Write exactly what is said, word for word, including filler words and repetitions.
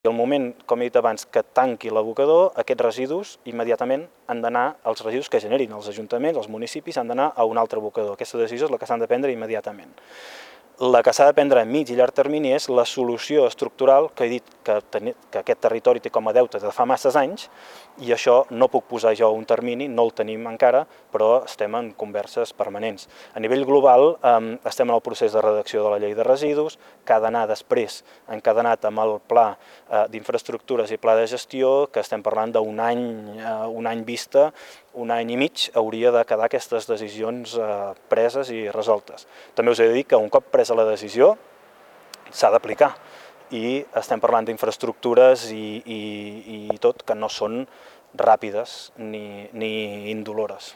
I al moment, com he dit abans, que tanqui l'abocador, aquests residus immediatament han d'anar, els residus que generin els ajuntaments, els municipis, han d'anar a un altre abocador. Aquesta decisió és la que s'han de prendre immediatament. La que s'ha de prendre a mig i llarg termini és la solució estructural que he dit que, ten, que aquest territori té com a deute de fa masses anys, i això no puc posar jo un termini, no el tenim encara, però estem en converses permanents. A nivell global eh, estem en el procés de redacció de la llei de residus, que ha d'anar després encadenat amb el pla eh, d'infraestructures i pla de gestió, que estem parlant d'un any, eh, un any vista, un any i mig hauria de quedar aquestes decisions eh, preses i resoltes. També us he de dir que un cop presa la decisió s'ha d'aplicar, i estem parlant d'infraestructures i, i, i tot que no són ràpides ni, ni indolores.